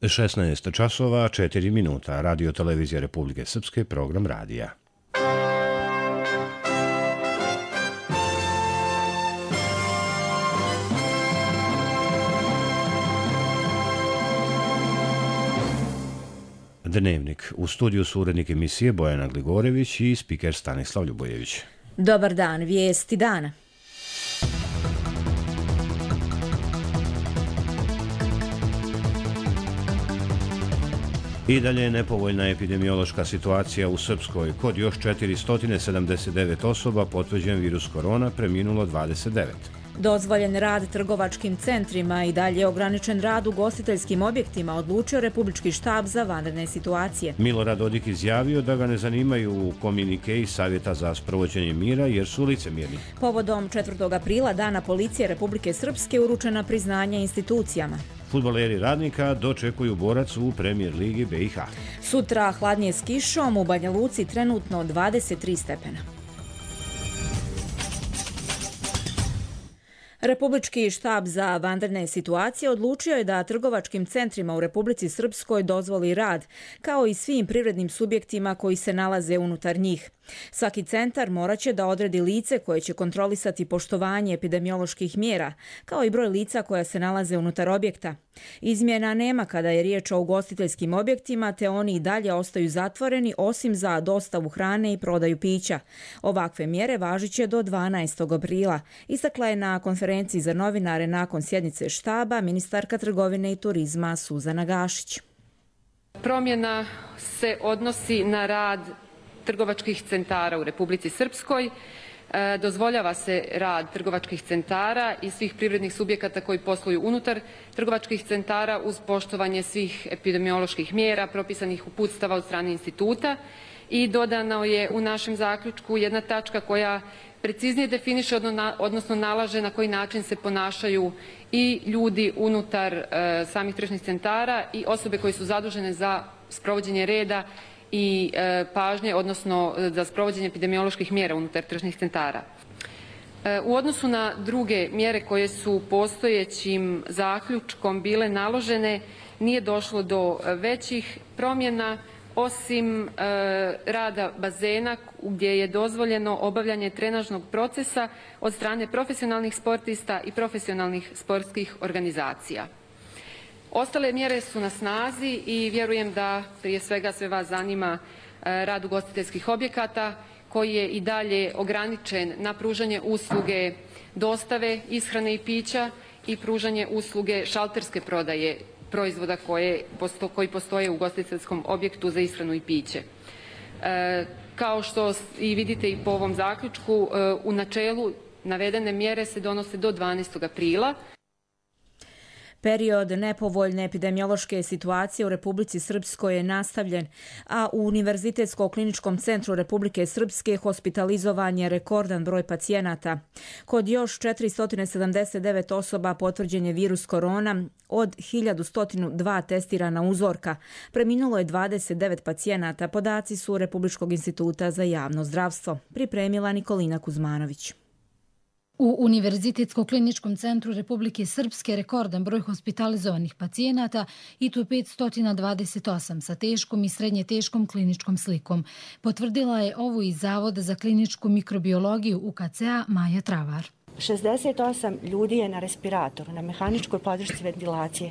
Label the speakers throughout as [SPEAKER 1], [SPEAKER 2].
[SPEAKER 1] 16 časova, 4 minuta. Radio Televizija Republike Srpske, program radija. Dnevnik. U studiju su urednik emisije Bojana Gligorević i spiker Stanislav Ljubojević.
[SPEAKER 2] Dobar dan, vijesti dana.
[SPEAKER 1] I dalje je nepovoljna epidemiološka situacija u Srpskoj. Kod još 479 osoba potvrđen virus korona, preminulo 29.
[SPEAKER 2] Dozvoljen rad trgovačkim centrima i dalje ograničen rad ugostiteljskim objektima, odlučio Republički štab za vanredne situacije.
[SPEAKER 1] Milorad Dodik izjavio da ga ne zanimaju komunikeji Savjeta za sprovođenje mira jer su licemjerni.
[SPEAKER 2] Povodom 4. aprila, Dana policije Republike Srpske, uručena priznanja institucijama.
[SPEAKER 1] Fudbaleri Radnika dočekuju Borac u Premijer ligi BiH.
[SPEAKER 2] Sutra hladnije s kišom, u Banja Luci trenutno 23 stepena. Republički štab za vanredne situacije odlučio je da trgovačkim centrima u Republici Srpskoj dozvoli rad, kao i svim privrednim subjektima koji se nalaze unutar njih. Svaki centar morat će da odredi lice koje će kontrolisati poštovanje epidemioloških mjera, kao i broj lica koja se nalaze unutar objekta. Izmjena nema kada je riječ o ugostiteljskim objektima, te oni i dalje ostaju zatvoreni osim za dostavu hrane i prodaju pića. Ovakve mjere važit će do 12. aprila, istakla je na konferenciji za novinare nakon sjednice štaba ministarka trgovine i turizma Suzana Gašić.
[SPEAKER 3] Promjena se odnosi na rad trgovačkih centara u Republici Srpskoj. Dozvoljava se rad trgovačkih centara i svih privrednih subjekata koji posluju unutar trgovačkih centara uz poštovanje svih epidemioloških mjera propisanih uputstava od strane instituta i dodano je u našem zaključku jedna tačka koja preciznije definiše, odnosno nalaže na koji način se ponašaju i ljudi unutar samih tržnih centara i osobe koje su zadužene za sprovođenje reda i pažnje, odnosno za sprovođenje epidemioloških mjera unutar tržnih centara. U odnosu na druge mjere koje su postojećim zaključkom bile naložene, nije došlo do većih promjena, osim rada bazena gdje je dozvoljeno obavljanje trenažnog procesa od strane profesionalnih sportista i profesionalnih sportskih organizacija. Ostale mjere su na snazi i vjerujem da prije svega sve vas zanima rad ugostiteljskih objekata koji je i dalje ograničen na pružanje usluge dostave, ishrane i pića i pružanje usluge šalterske prodaje proizvoda koji postoje u ugostiteljskom objektu za ishranu i piće. Kao što i vidite i po ovom zaključku, u načelu navedene mjere se donose do 12. aprila.
[SPEAKER 2] Period nepovoljne epidemiološke situacije u Republici Srpskoj je nastavljen, a u Univerzitetsko-kliničkom centru Republike Srpske hospitalizovan je rekordan broj pacijenata. Kod još 479 osoba potvrđen je virus korona od 1102 testirana uzorka. Preminulo je 29 pacijenata, podaci su Republičkog instituta za javno zdravstvo. Pripremila Nikolina Kuzmanović.
[SPEAKER 4] U Univerzitetsko-kliničkom centru Republike Srpske rekordan broj hospitalizovanih pacijenata i to 528 sa teškom i srednje teškom kliničkom slikom. Potvrdila je ovo iz Zavoda za kliničku mikrobiologiju UKC-a Maja Travar.
[SPEAKER 5] 68 ljudi je na respiratoru, na mehaničkoj podršci ventilacije.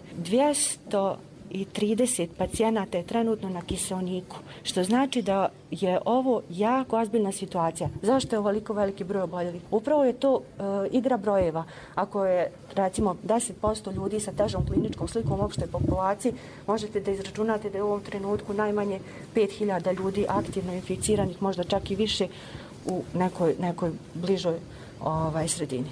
[SPEAKER 5] 230 pacijenata je trenutno na kiseoniku, što znači da je ovo jako ozbiljna situacija. Zašto je ovoliko veliki broj oboljelih? Upravo je to igra brojeva. Ako je, recimo, 10% ljudi sa težom kliničkom slikom u opštoj populaciji, možete da izračunate da je u ovom trenutku najmanje 5000 ljudi aktivno inficiranih, možda čak i više u nekoj bližoj sredini.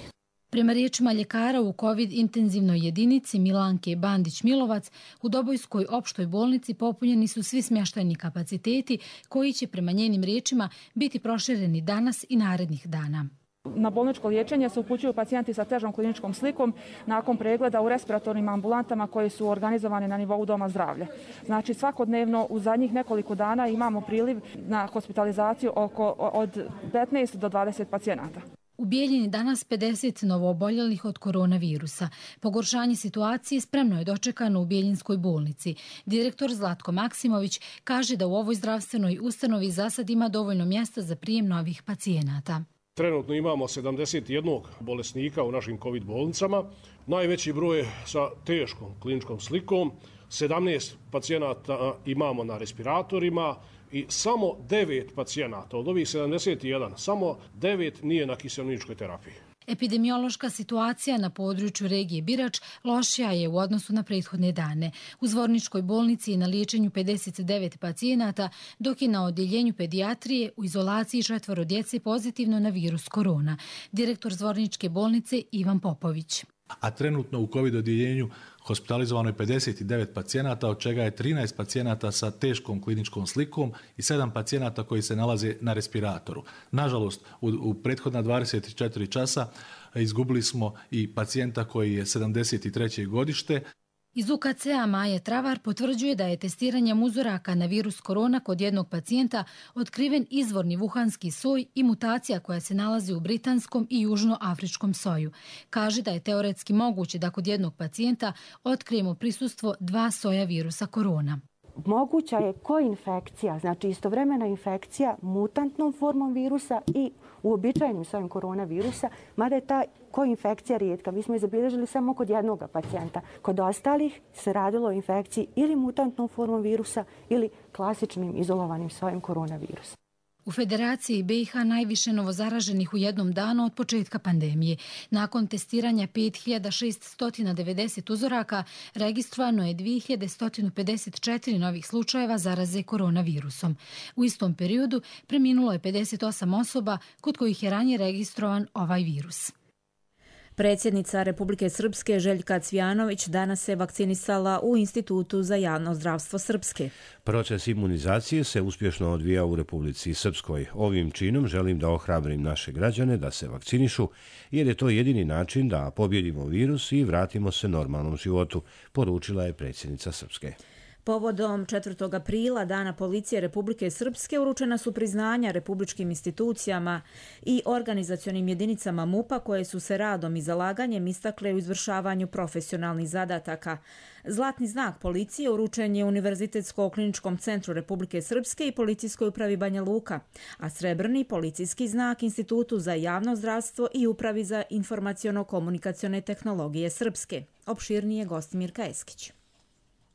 [SPEAKER 4] Prema riječima ljekara u COVID intenzivnoj jedinici Milanke Bandić-Milovac, u Dobojskoj opštoj bolnici popunjeni su svi smještajni kapaciteti koji će prema njenim riječima biti prošireni danas i narednih dana.
[SPEAKER 6] Na bolničko liječenje se upućuju pacijenti sa težom kliničkom slikom nakon pregleda u respiratornim ambulantama koje su organizovane na nivou doma zdravlja. Znači svakodnevno u zadnjih nekoliko dana imamo priliv na hospitalizaciju od 15 do 20 pacijenata.
[SPEAKER 4] U Bijeljini danas 50 novooboljelih od koronavirusa. Pogoršanje situacije spremno je dočekano u Bijeljinskoj bolnici. Direktor Zlatko Maksimović kaže da u ovoj zdravstvenoj ustanovi za sad ima dovoljno mjesta za prijem novih pacijenata.
[SPEAKER 7] Trenutno imamo 71 bolesnika u našim COVID bolnicama. Najveći broj sa teškom kliničkom slikom. 17 pacijenata imamo na respiratorima i samo 9 pacijenata od ovih 71, samo 9 nije na kiseoničkoj terapiji.
[SPEAKER 4] Epidemiološka situacija na području regije Birač lošija je u odnosu na prethodne dane. U Zvorničkoj bolnici je na liječenju 59 pacijenata, dok je na odjeljenju pedijatrije u izolaciji 4 djece pozitivno na virus korona. Direktor Zvorničke bolnice Ivan Popović.
[SPEAKER 8] A trenutno u COVID odjeljenju hospitalizovano je 59 pacijenata, od čega je 13 pacijenata sa teškom kliničkom slikom i 7 pacijenata koji se nalaze na respiratoru. Nažalost, u prethodna 24 časa izgubili smo i pacijenta koji je 73. godište.
[SPEAKER 4] Iz UKC-a Maja Travar potvrđuje da je testiranjem uzoraka na virus korona kod jednog pacijenta otkriven izvorni vuhanski soj i mutacija koja se nalazi u britanskom i južnoafričkom soju. Kaže da je teoretski moguće da kod jednog pacijenta otkrijemo prisustvo 2 soja virusa korona.
[SPEAKER 5] Moguća je koinfekcija, znači istovremena infekcija mutantnom formom virusa i uobičajenim sojem koronavirusa, mada je ta koinfekcija rijetka. Mi smo je zabilježili samo kod jednog pacijenta. Kod ostalih se radilo o infekciji ili mutantnom formom virusa ili klasičnim izolovanim sojem koronavirusa.
[SPEAKER 4] U Federaciji BiH najviše novozaraženih u jednom danu od početka pandemije. Nakon testiranja 5690 uzoraka registrovano je 2154 novih slučajeva zaraze koronavirusom. U istom periodu preminulo je 58 osoba kod kojih je ranije registrovan ovaj virus.
[SPEAKER 2] Predsjednica Republike Srpske Željka Cvijanović danas se vakcinisala u Institutu za javno zdravstvo Srpske.
[SPEAKER 1] Proces imunizacije se uspješno odvija u Republici Srpskoj. Ovim činom želim da ohrabrim naše građane da se vakcinišu, jer je to jedini način da pobjedimo virus i vratimo se normalnom životu, poručila je predsjednica Srpske.
[SPEAKER 2] Povodom 4. aprila, Dana policije Republike Srpske, uručena su priznanja republičkim institucijama i organizacionim jedinicama MUP-a koje su se radom i zalaganjem istakle u izvršavanju profesionalnih zadataka. Zlatni znak policije uručen je Univerzitetsko-kliničkom centru Republike Srpske i Policijskoj upravi Banja Luka, a srebrni policijski znak Institutu za javno zdravstvo i Upravi za informaciono-komunikacione tehnologije Srpske. Opširnije Gostimirka Eskić.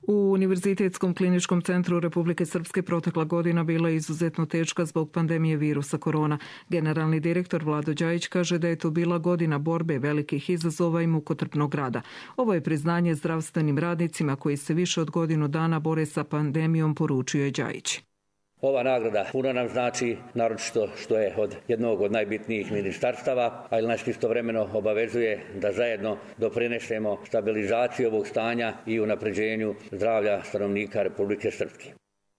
[SPEAKER 9] U Univerzitetskom kliničkom centru Republike Srpske protekla godina bila je izuzetno teška zbog pandemije virusa korona. Generalni direktor Vlado Đajić kaže da je to bila godina borbe, velikih izazova i mukotrpnog rada. Ovo je priznanje zdravstvenim radnicima koji se više od godinu dana bore sa pandemijom, poručio je Đajić.
[SPEAKER 10] Ova nagrada puno nam znači, naročito što je od jednog od najbitnijih ministarstava, ali nas istovremeno obavezuje da zajedno doprinesemo stabilizaciji ovog stanja i unapređenju zdravlja stanovnika Republike Srpske.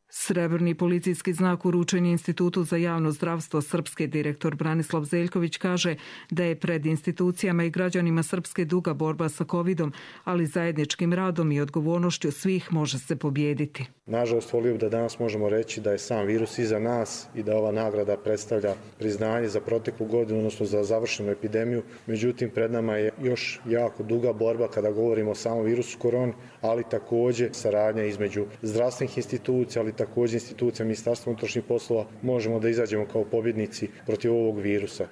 [SPEAKER 9] Srebrni policijski znak uručen je Institutu za javno zdravstvo Srpske. Direktor Branislav Zeljković kaže da je pred institucijama i građanima Srpske duga borba sa covidom, ali zajedničkim radom i odgovornošću svih može se pobijediti.
[SPEAKER 11] Nažalost, volio bih da danas možemo reći da je sam virus iza nas i da ova nagrada predstavlja priznanje za proteklu godinu, odnosno za završenu epidemiju. Međutim, pred nama je još jako duga borba kada govorimo o samom virusu koroni, ali također saradnja između zdravstvenih institucija, ali također institucija Ministarstva unutrašnjih poslova, možemo da izađemo kao pobjednici protiv ovog virusa.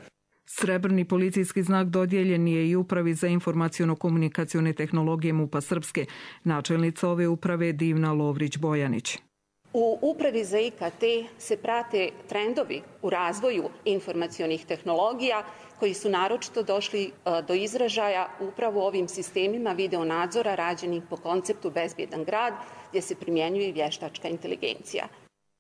[SPEAKER 9] Srebrni policijski znak dodijeljen je i Upravi za informaciono-komunikacione tehnologije MUP-a Srpske. Načelnica ove uprave je Divna Lovrić-Bojanić.
[SPEAKER 12] U Upravi za IKT se prate trendovi u razvoju informacionih tehnologija koji su naročito došli do izražaja upravo ovim sistemima videonadzora rađenih po konceptu Bezbjedan grad, gdje se primjenjuje i vještačka inteligencija.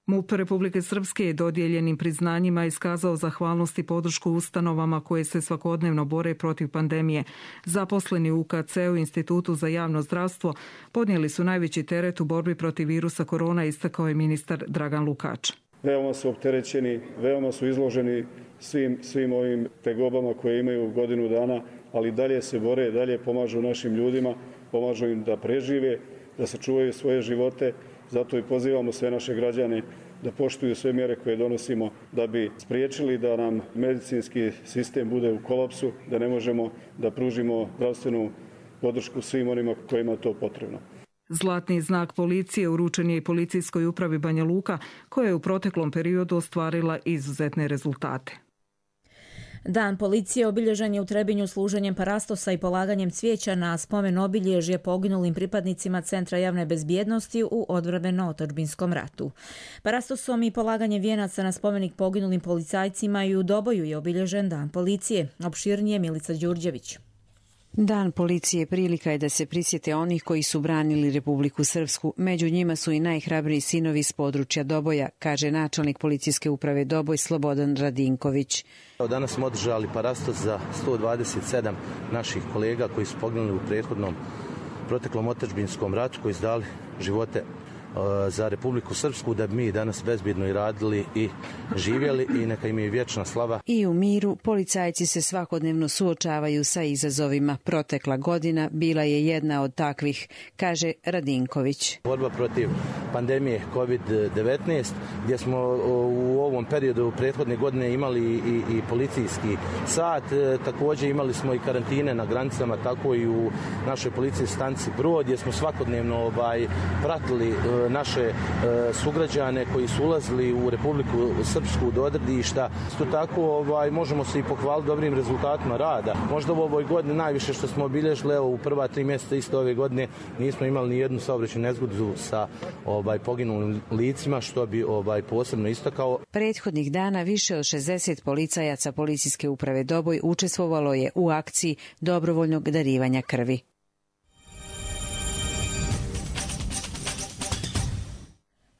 [SPEAKER 9] MUP Republike Srpske je dodijeljenim priznanjima iskazao zahvalnost i podršku ustanovama koje se svakodnevno bore protiv pandemije. Zaposleni u UKC-u, Institutu za javno zdravstvo, podnijeli su najveći teret u borbi protiv virusa korona, istakao je ministar Dragan Lukač.
[SPEAKER 13] Veoma su opterećeni, veoma su izloženi svim ovim tegobama koje imaju godinu dana, ali dalje se bore, dalje pomažu našim ljudima, pomažu im da prežive da sačuvaju svoje živote. Zato i pozivamo sve naše građane da poštuju sve mjere koje donosimo da bi spriječili da nam medicinski sistem bude u kolapsu, da ne možemo da pružimo zdravstvenu podršku svim onima kojima je to potrebno.
[SPEAKER 9] Zlatni znak policije uručen je i policijskoj upravi Banja Luka, koja je u proteklom periodu ostvarila izuzetne rezultate.
[SPEAKER 2] Dan policije obilježen je u Trebinju služenjem parastosa i polaganjem cvijeća na spomen obilježje poginulim pripadnicima Centra javne bezbjednosti u odbrambeno-otadžbinskom ratu. Parastosom i polaganjem vijenaca na spomenik poginulim policajcima i u Doboju je obilježen Dan policije. Opširnije Milica Đurđević.
[SPEAKER 14] Dan policije prilika je da se prisjete onih koji su branili Republiku Srpsku. Među njima su i najhrabriji sinovi s područja Doboja, kaže načelnik policijske uprave Doboj Slobodan Radinković.
[SPEAKER 15] Danas smo održali parastos za 127 naših kolega koji su poginuli u proteklom otadžbinskom ratu, koji su dali živote za Republiku Srpsku, da bi mi danas bezbjedno i radili i živjeli, i neka im je vječna slava.
[SPEAKER 14] I u miru policajci se svakodnevno suočavaju sa izazovima. Protekla godina bila je jedna od takvih, kaže Radinković.
[SPEAKER 15] Borba protiv pandemije COVID-19, gdje smo u ovom periodu prethodne godine imali i policijski sat, također imali smo i karantine na granicama, tako i u našoj policijskoj stanici Brod, gdje smo svakodnevno pratili naše sugrađane koji su ulazili u Republiku Srpsku do odredišta. Isto tako možemo se i pohvaliti dobrim rezultatima rada. Možda u ovoj godini najviše što smo obilježili, u prva 3 mjeseca isto ove godine nismo imali ni jednu saobraćajnu nezgodu sa poginulim licima, što bi posebno istakao.
[SPEAKER 14] Prethodnih dana više od 60 policajaca policijske uprave Doboj učestvovalo je u akciji dobrovoljnog darivanja krvi.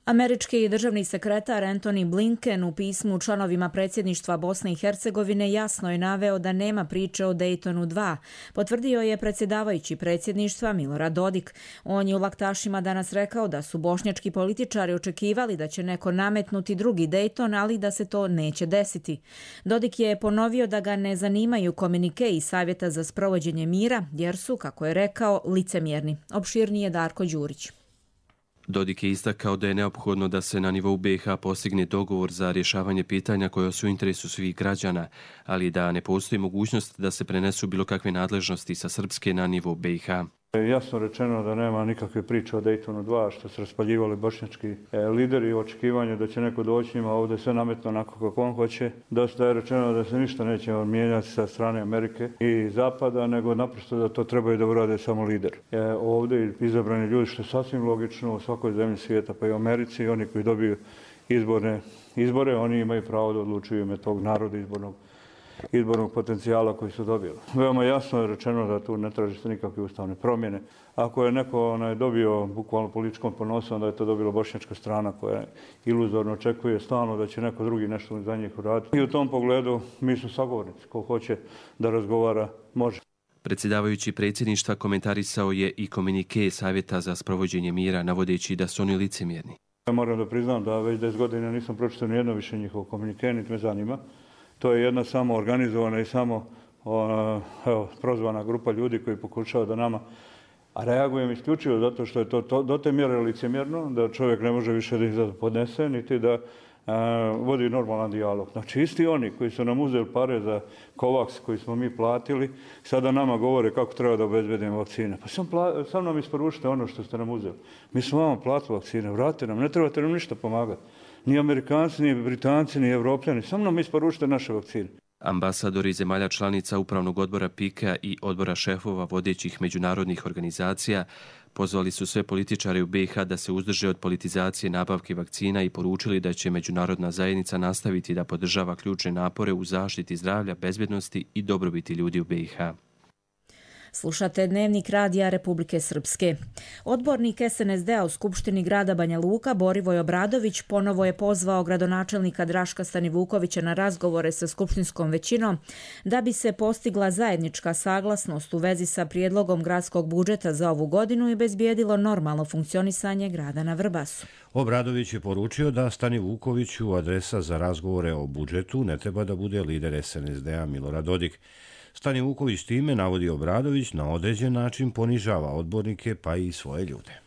[SPEAKER 2] Američki državni sekretar Antony Blinken u pismu članovima predsjedništva Bosne i Hercegovine jasno je naveo da nema priče o Daytonu 2. Potvrdio je predsjedavajući predsjedništva Milorad Dodik. On je u Laktašima danas rekao da su bošnjački političari očekivali da će neko nametnuti drugi Dayton, ali da se to neće desiti. Dodik je ponovio da ga ne zanimaju komunike i savjeta za sprovođenje mira, jer su, kako je rekao, licemjerni. Opširnije Darko Đurić.
[SPEAKER 16] Dodik je istakao da je neophodno da se na nivou BiH postigne dogovor za rješavanje pitanja koja su u interesu svih građana, ali da ne postoji mogućnost da se prenesu bilo kakve nadležnosti sa Srpske na nivou BiH.
[SPEAKER 17] Jasno rečeno da nema nikakve priče o Daytonu 2, što su raspaljivali bošnjački lideri u očekivanju da će neko doći njima ovdje sve nametno onako kako on hoće. Da je rečeno da se ništa neće mijenjati sa strane Amerike i Zapada, nego naprosto da to trebaju da urade samo lideri. Ovdje izabrani ljudi, što je sasvim logično u svakoj zemlji svijeta, pa i u Americi, i oni koji dobiju izbore, oni imaju pravo da odlučuju ime tog naroda izbornog potencijala koji su dobili. Veoma jasno je rečeno da tu ne traži se nikakve ustavne promjene. Ako je neko dobio bukvalno političkom ponosom, da je to dobila bošnjačka strana koja iluzorno očekuje stalno da će neko drugi nešto za njih uraditi. I u tom pogledu mi smo sagovornici. Ko hoće da razgovara, može.
[SPEAKER 16] Predsjedavajući predsjedništva komentarisao je i komunike Savjeta za sprovođenje mira, navodeći da su oni licemjerni.
[SPEAKER 17] Moram da priznam da već 10 godina nisam pročitao ni jedno više njihovo komunike, niti me zanima. To je jedna samo organizovana i samo prozvana grupa ljudi koji pokušava da nama, a reagujem isključivo zato što je to do te mjere licemjerno, da čovjek ne može više da ih podnese, niti da vodi normalan dijalog. Znači isti oni koji su nam uzeli pare za Covax koji smo mi platili, sada nama govore kako treba da obezbedimo vakcine. Pa sam nam isporučite ono što ste nam uzeli. Mi smo vama platili vakcine, vratite nam, ne trebate nam ništa pomagati. Ni Amerikanci, ni Britanci, ni Evropljani, samo nam isporučite naše vakcine.
[SPEAKER 16] Ambasadori zemalja članica Upravnog odbora PIK-a i odbora šefova vodećih međunarodnih organizacija pozvali su sve političare u BiH da se uzdrže od politizacije nabavke vakcina i poručili da će međunarodna zajednica nastaviti da podržava ključne napore u zaštiti zdravlja, bezbednosti i dobrobiti ljudi u BiH.
[SPEAKER 2] Slušate Dnevnik radija Republike Srpske. Odbornik SNSD-a u Skupštini grada Banja Luka, Borivoj Obradović, ponovo je pozvao gradonačelnika Draška Stanivukovića na razgovore sa skupštinskom većinom da bi se postigla zajednička saglasnost u vezi sa prijedlogom gradskog budžeta za ovu godinu i bezbijedilo normalno funkcionisanje grada na Vrbasu.
[SPEAKER 1] Obradović je poručio da Stanivukoviću adresa za razgovore o budžetu ne treba da bude lider SNSD-a Milorad Dodik. Stani Vuković time, navodi Obradović, na određen način ponižava odbornike pa i svoje ljude.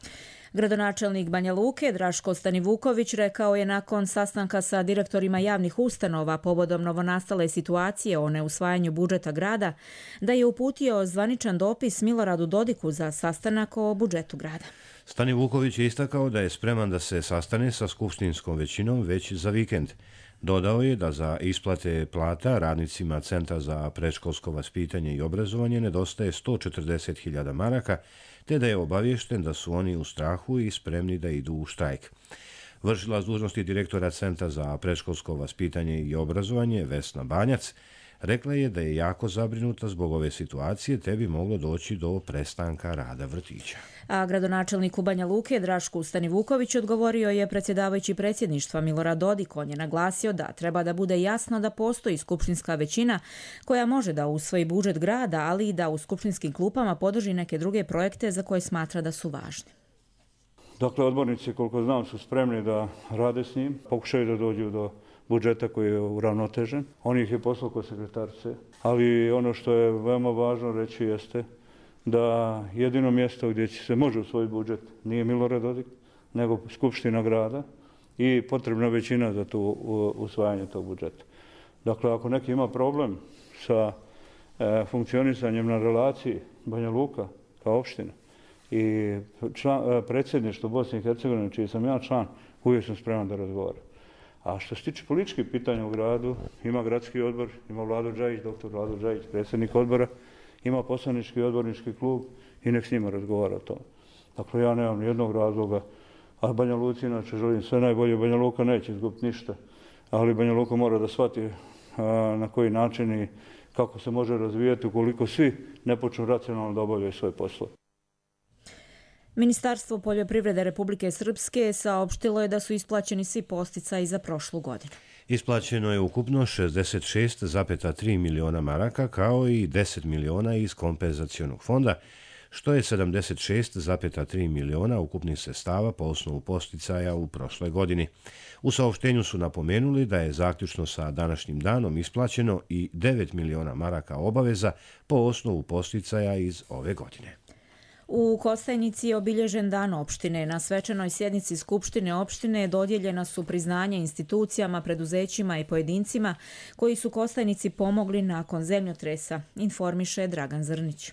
[SPEAKER 2] Gradonačelnik Banja Luke Draško Stanivuković rekao je nakon sastanka sa direktorima javnih ustanova povodom novonastale situacije o neusvajanju budžeta grada da je uputio zvaničan dopis Miloradu Dodiku za sastanak o budžetu grada.
[SPEAKER 1] Stanivuković je istakao da je spreman da se sastane sa skupštinskom većinom već za vikend. Dodao je da za isplate plata radnicima Centra za predškolsko vaspitanje i obrazovanje nedostaje 140.000 maraka, te da je obaviješten da su oni u strahu i spremni da idu u štrajk. Vršilac dužnosti direktora Centra za predškolsko vaspitanje i obrazovanje Vesna Banjac rekla je da je jako zabrinuta zbog ove situacije, te bi moglo doći do prestanka rada vrtića.
[SPEAKER 2] A gradonačelniku Banja Luke Drašku Stanivuković odgovorio je predsjedavajući predsjedništva Milorad Dodik. On je naglasio da treba da bude jasno da postoji skupštinska većina koja može da usvoji budžet grada, ali i da u skupštinskim klupama podrži neke druge projekte za koje smatra da su važni.
[SPEAKER 17] Dakle, odbornici, koliko znam, su spremni da rade s njim, pokušaju da dođu do budžeta koji je uravnotežen. On ih je poslao kod sekretarice, ali ono što je veoma važno reći jeste da jedino mjesto gdje se može usvojiti budžet nije Milorad Dodik, nego Skupština grada i potrebna većina za to usvajanje tog budžeta. Dakle, ako neki ima problem sa funkcionisanjem na relaciji Banja Luka kao opština i predsjedništvo Bosne i Hercegovine, čiji sam ja član, uvijek sam spreman da razgovaram. A što se tiče političkih pitanja u gradu, ima gradski odbor, ima Vlado Džajić, doktor Vlado Džajić, predsjednik odbora, ima poslanički odbornički klub i nek s njima razgovara o tome. Dakle, ja nemam nijednog razloga, a Banja Luci inače želim sve najbolje. Banja Luka neće izgubiti ništa, ali Banja Luka mora da shvati na koji način i kako se može razvijati ukoliko svi ne počnu racionalno da obavljaju svoje poslove.
[SPEAKER 2] Ministarstvo poljoprivrede Republike Srpske saopštilo je da su isplaćeni svi podsticaji za prošlu godinu.
[SPEAKER 1] Isplaćeno je ukupno 66,3 miliona maraka kao i 10 miliona iz kompenzacionog fonda, što je 76,3 miliona ukupnih sredstava po osnovu podsticaja u prošloj godini. U saopštenju su napomenuli da je zaključno sa današnjim danom isplaćeno i 9 miliona maraka obaveza po osnovu podsticaja iz ove godine.
[SPEAKER 2] U Kostajnici je obilježen dan opštine. Na svečanoj sjednici Skupštine opštine dodijeljena su priznanja institucijama, preduzećima i pojedincima koji su Kostajnici pomogli nakon zemljotresa, informiše Dragan Zrnić.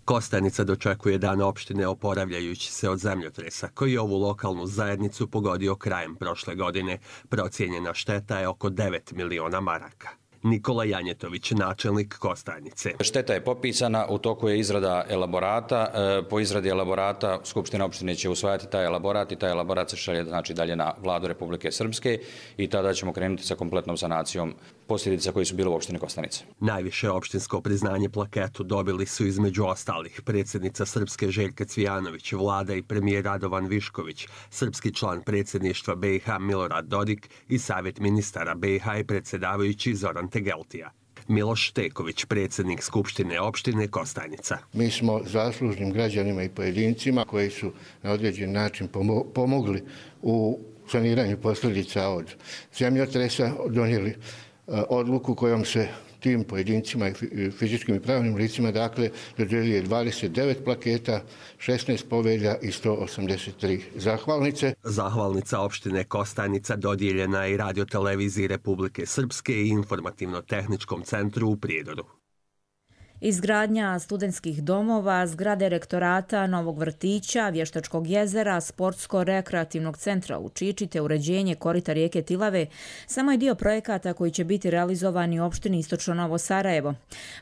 [SPEAKER 18] Kostajnica dočekuje dan opštine oporavljajući se od zemljotresa koji je ovu lokalnu zajednicu pogodio krajem prošle godine. Procijenjena šteta je oko 9 miliona maraka. Nikola Janjetović, načelnik Kostajnice.
[SPEAKER 19] Šteta je popisana, u toku je izrada elaborata. Po izradi elaborata Skupština opštine će usvajati taj elaborat i taj elaborat se šalje dalje na Vladu Republike Srpske i tada ćemo krenuti sa kompletnom sanacijom posljedica koji su bile u opštini Kostajnice.
[SPEAKER 18] Najviše opštinsko priznanje plaketu dobili su između ostalih predsjednica Srpske Željka Cvijanović, vlada i premijer Radovan Višković, srpski član predsjedništva BiH Milorad Dodik i savjet ministara BiH i predsjedavajući Zoran Tegeltija. Miloš Teković, predsjednik Skupštine opštine Kostajnica.
[SPEAKER 20] Mi smo zaslužnim građanima i pojedincima koji su na određen način pomogli u saniranju posljedica od zemljotresa, donijeli odluku kojom se tim pojedincima i fizičkim i pravnim licima dodjeljuje 29 plaketa, 16 povelja i 183 zahvalnice.
[SPEAKER 18] Zahvalnica opštine Kostajnica dodijeljena je i radioteleviziji Republike Srpske i informativno-tehničkom centru u Prijedoru.
[SPEAKER 2] Izgradnja studentskih domova, zgrade rektorata, novog vrtića, Vještačkog jezera, sportsko-rekreativnog centra u Čiči te uređenje korita rijeke Tilave samo je dio projekata koji će biti realizovani u opštini Istočno Novo Sarajevo.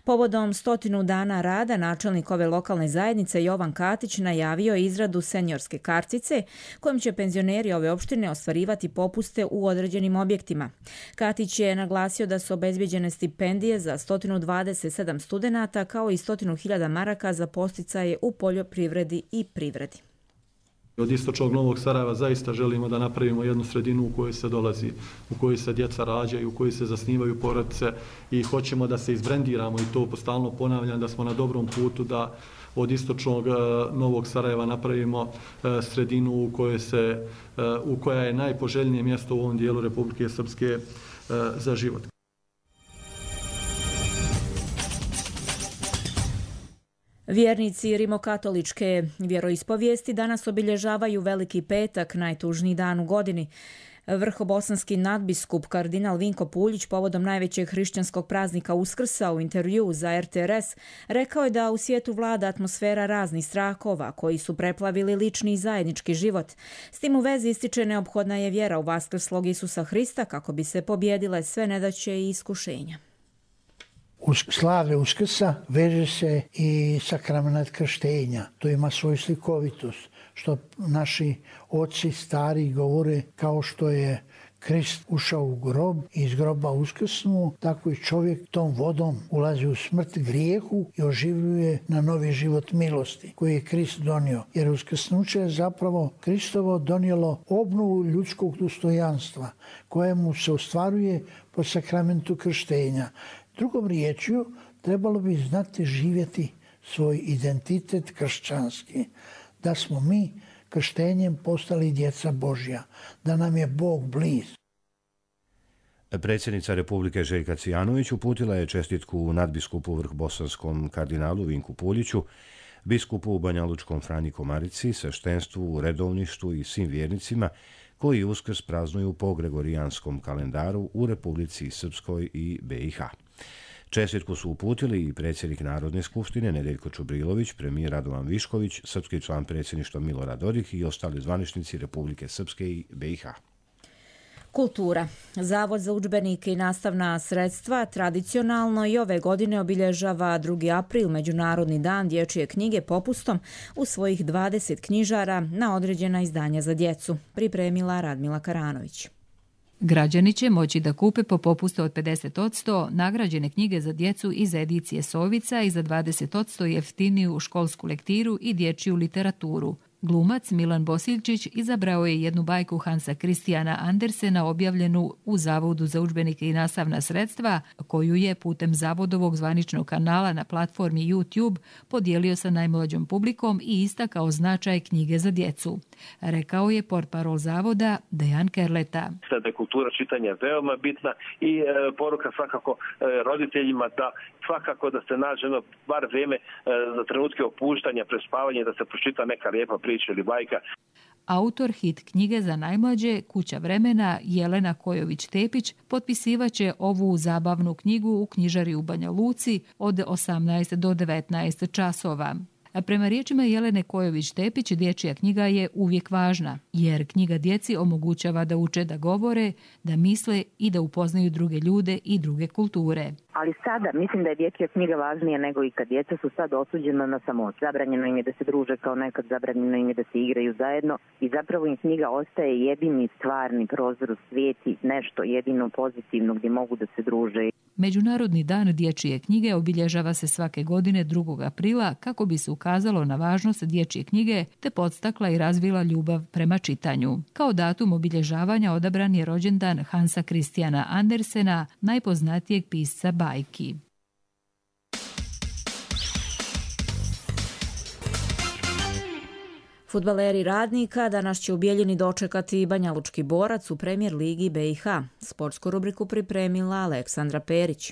[SPEAKER 2] Povodom 100 dana rada načelnik ove lokalne zajednice Jovan Katić najavio je izradu seniorske kartice kojom će penzioneri ove opštine ostvarivati popuste u određenim objektima. Katić je naglasio da su obezbijeđene stipendije za 127 studenata kao i 100.000 maraka za podsticaje u poljoprivredi i privredi.
[SPEAKER 8] Od Istočnog Novog Sarajeva zaista želimo da napravimo jednu sredinu u kojoj se dolazi, u kojoj se djeca rađaju, u kojoj se zasnivaju porodice i hoćemo da se izbrendiramo i to stalno ponavljam da smo na dobrom putu da od Istočnog Novog Sarajeva napravimo sredinu u koja je najpoželjnije mjesto u ovom dijelu Republike Srpske za život.
[SPEAKER 2] Vjernici rimokatoličke vjeroispovijesti danas obilježavaju Veliki petak, najtužniji dan u godini. Vrhobosanski nadbiskup kardinal Vinko Puljić povodom najvećeg hrišćanskog praznika Uskrsa u intervjuu za RTRS rekao je da u svijetu vlada atmosfera raznih strahova koji su preplavili lični i zajednički život. S tim u vezi ističe neophodna je vjera u vaskrslog Isusa Hrista kako bi se pobjedile sve nedaće i iskušenja.
[SPEAKER 21] Uz slavlje Uskrsa veže se i sakrament krštenja. To ima svoju slikovitost, što naši oci stari govore kao što je Krist ušao u grob i iz groba uskrsnuo, tako i čovjek tom vodom ulazi u smrt grijehu i oživljuje na novi život milosti koji je Krist donio. Jer uskrsnuće je zapravo Kristovo donijelo obnovu ljudskog dostojanstva kojemu se ostvaruje po sakramentu krštenja. Drugom riječju, trebalo bi znati živjeti svoj identitet kršćanski, da smo mi krštenjem postali djeca Božja, da nam je Bog bliz.
[SPEAKER 1] Predsjednica Republike Željka Cvijanović uputila je čestitku nadbiskupu vrhbosanskom kardinalu Vinku Puljiću, biskupu u Banjalučkom Franji Komarici, sveštenstvu, redovništvu i svim vjernicima koji Uskrs praznuju po gregorijanskom kalendaru u Republici Srpskoj i BiH. Čestitku su uputili i predsjednik Narodne skupštine Nedeljko Čubrilović, premijer Radovan Višković, srpski član predsjedništva Milorad Dodik i ostali zvaničnici Republike Srpske i BiH.
[SPEAKER 2] Kultura. Zavod za udžbenike i nastavna sredstva tradicionalno i ove godine obilježava 2. april, Međunarodni dan dječje knjige, popustom u svojih 20 knjižara na određena izdanja za djecu, pripremila Radmila Karanović.
[SPEAKER 22] Građani će moći da kupe po popustu od 50% nagrađene knjige za djecu iz edicije Sovica i za 20% jeftiniju školsku lektiru i dječju literaturu. Glumac Milan Bosiljčić izabrao je jednu bajku Hansa Kristijana Andersena objavljenu u Zavodu za udžbenike i nastavna sredstva, koju je putem zavodovog zvaničnog kanala na platformi YouTube podijelio sa najmlađom publikom i istakao značaj knjige za djecu. Rekao je portparol zavoda Dejan Kerleta.
[SPEAKER 23] Da je kultura čitanja veoma bitna i poruka svakako roditeljima da svakako da se nađe bar vrijeme za trenutke opuštanja, prespavanja, da se pročita neka lijepa priča ili bajka.
[SPEAKER 22] Autor hit knjige za najmlađe Kuća vremena Jelena Kojović-Tepić potpisivaće ovu zabavnu knjigu u knjižari u Banja Luci od 18 do 19 časova. A prema riječima Jelene Kojović-Tepić, dječja knjiga je uvijek važna, jer knjiga djeci omogućava da uče da govore, da misle i da upoznaju druge ljude i druge kulture.
[SPEAKER 24] Ali sada mislim da je dječja knjiga važnija nego ikad. Djeca su sad osuđena na samoć. Zabranjeno im je da se druže kao nekad, zabranjeno im je da se igraju zajedno i zapravo im knjiga ostaje jedini stvarni prozor u svijeti, nešto jedino pozitivno gdje mogu da se druže.
[SPEAKER 22] Međunarodni dan dječje knjige obilježava se svake godine 2. aprila kako bi se ukazalo na važnost dječje knjige te podstakla i razvila ljubav prema čitanju. Kao datum obilježavanja odabran je rođendan Hansa Kristijana Andersena, najpoznatijeg pisca bajki.
[SPEAKER 2] Fudbaleri Radnika danas će u Bijeljini dočekati Banjalučki Borac u Premijer ligi BiH. Sportsku rubriku pripremila Aleksandra Perić.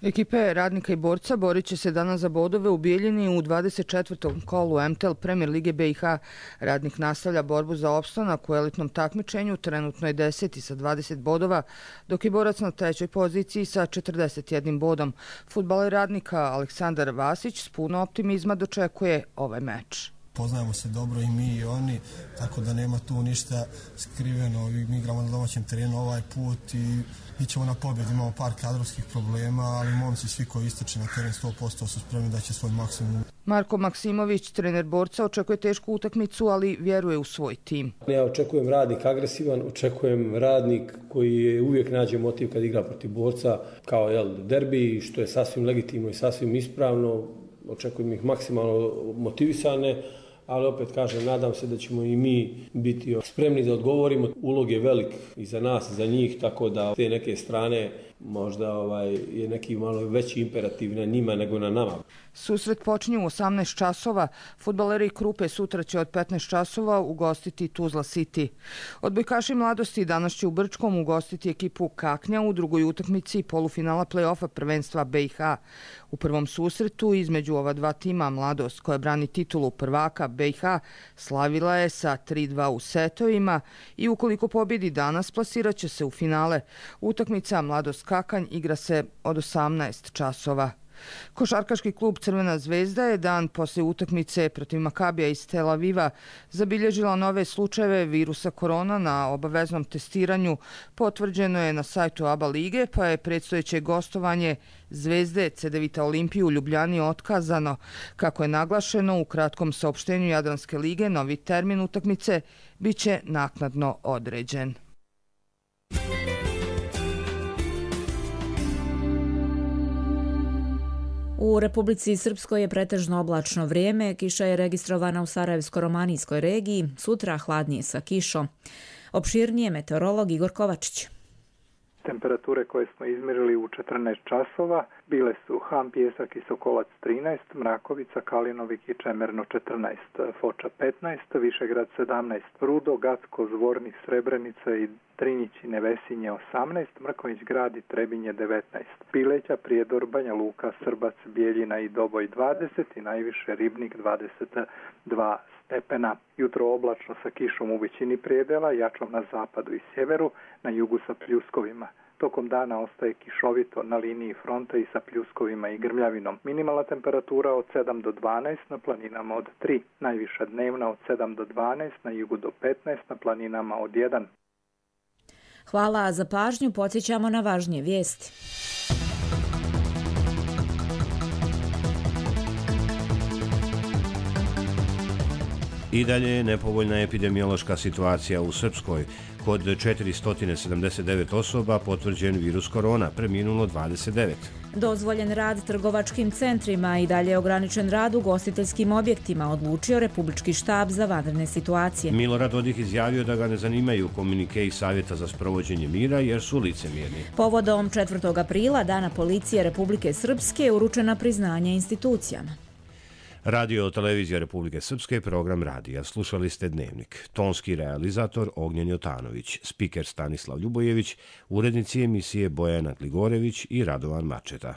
[SPEAKER 25] Ekipe Radnika i Borca borit će se danas za bodove u Bijeljini u 24. kolu MTL Premier lige BiH. Radnik nastavlja borbu za opstanak u elitnom takmičenju, trenutno je 10. sa 20 bodova, dok je Borac na 3. poziciji sa 41 bodom. Fudbaler Radnika Aleksandar Vasić s puno optimizma dočekuje ovaj meč.
[SPEAKER 26] Poznajemo se dobro i mi i oni, tako da nema tu ništa skriveno. Mi igramo na domaćem terenu ovaj put i ićemo na pobjedu. Imamo par kadrovskih problema, ali momci svi koji ističe na teren 100% su spremni da će svoj maksimum.
[SPEAKER 25] Marko Maksimović, trener Borca, očekuje tešku utakmicu, ali vjeruje u svoj tim.
[SPEAKER 27] Ja očekujem radnik agresivan, očekujem radnik koji uvijek nađe motiv kad igra protiv Borca, kao derbi, što je sasvim legitimno i sasvim ispravno. Očekujem ih maksimalno motivisane, ali opet kažem, nadam se da ćemo i mi biti spremni da odgovorimo. Ulog je velik i za nas i za njih, tako da te neke strane možda je neki malo veći imperativ na njima nego na nama.
[SPEAKER 25] Susret počinje u 18 časova. Fudbaleri Krupe sutra će od 15 časova ugostiti Tuzla City. Odbojkaši Mladosti danas će u Brčkom ugostiti ekipu Kaknja u drugoj utakmici polufinala play-offa prvenstva BiH. U prvom susretu između ova dva tima Mladost, koja brani titulu prvaka BiH, slavila je sa 3-2 u setovima i ukoliko pobjedi danas plasirat će se u finale. Utakmica Mladost Kakanj igra se od 18 časova. Košarkaški klub Crvena zvezda je dan poslije utakmice protiv Makabija iz Tel Aviva zabilježila nove slučajeve virusa korona na obaveznom testiranju. Potvrđeno je na sajtu ABA lige, pa je predstojeće gostovanje Zvezde Cedevita Olimpiju u Ljubljani otkazano. Kako je naglašeno u kratkom saopštenju Jadranske lige, novi termin utakmice biće naknadno određen.
[SPEAKER 2] U Republici Srpskoj je pretežno oblačno vrijeme, kiša je registrovana u Sarajevsko-romanijskoj regiji, sutra hladnije sa kišom. Opširnije meteorolog Igor Kovačić.
[SPEAKER 3] Temperature koje smo izmjerili u 14 časova bile su Ham, Pjesak i Sokolac 13, Mrakovica, Kalinovik i Čemerno 14, Foča 15, Višegrad 17, Rudo, Gacko, Zvornik, Srebrenica i Trinjić i Nevesinje 18, Mrkonjić Grad i Trebinje 19, Pileća, Prijedor, Banja Luka, Srbac, Bijeljina i Doboj 20 i najviše Ribnik 22 stepena. Jutro oblačno sa kišom u većini predela, jačom na zapadu i sjeveru, na jugu sa pljuskovima. Tokom dana ostaje kišovito na liniji fronta i sa pljuskovima i grmljavinom. Minimalna temperatura od 7 do 12, na planinama od 3. Najviša dnevna od 7 do 12, na jugu do 15, na planinama od 1.
[SPEAKER 2] Hvala za pažnju, podsjećamo na važnije vijesti.
[SPEAKER 1] I dalje je nepovoljna epidemiološka situacija u Srpskoj. Kod 479 osoba potvrđen virus korona, preminulo 29.
[SPEAKER 2] Dozvoljen rad trgovačkim centrima i dalje ograničen rad u ugostiteljskim objektima, odlučio Republički štab za vanredne situacije.
[SPEAKER 1] Milorad Dodik izjavio da ga ne zanimaju komunikeji Savjeta za sprovođenje mira jer su licemjerni.
[SPEAKER 2] Povodom 4. aprila, Dana policije Republike Srpske, uručena priznanja institucijama.
[SPEAKER 1] Radio televizija Republike Srpske, program radija. Slušali ste Dnevnik. Tonski realizator Ognjen Jotanović, spiker Stanislav Ljubojević, urednici emisije Bojana Gligorević i Radovan Mačeta.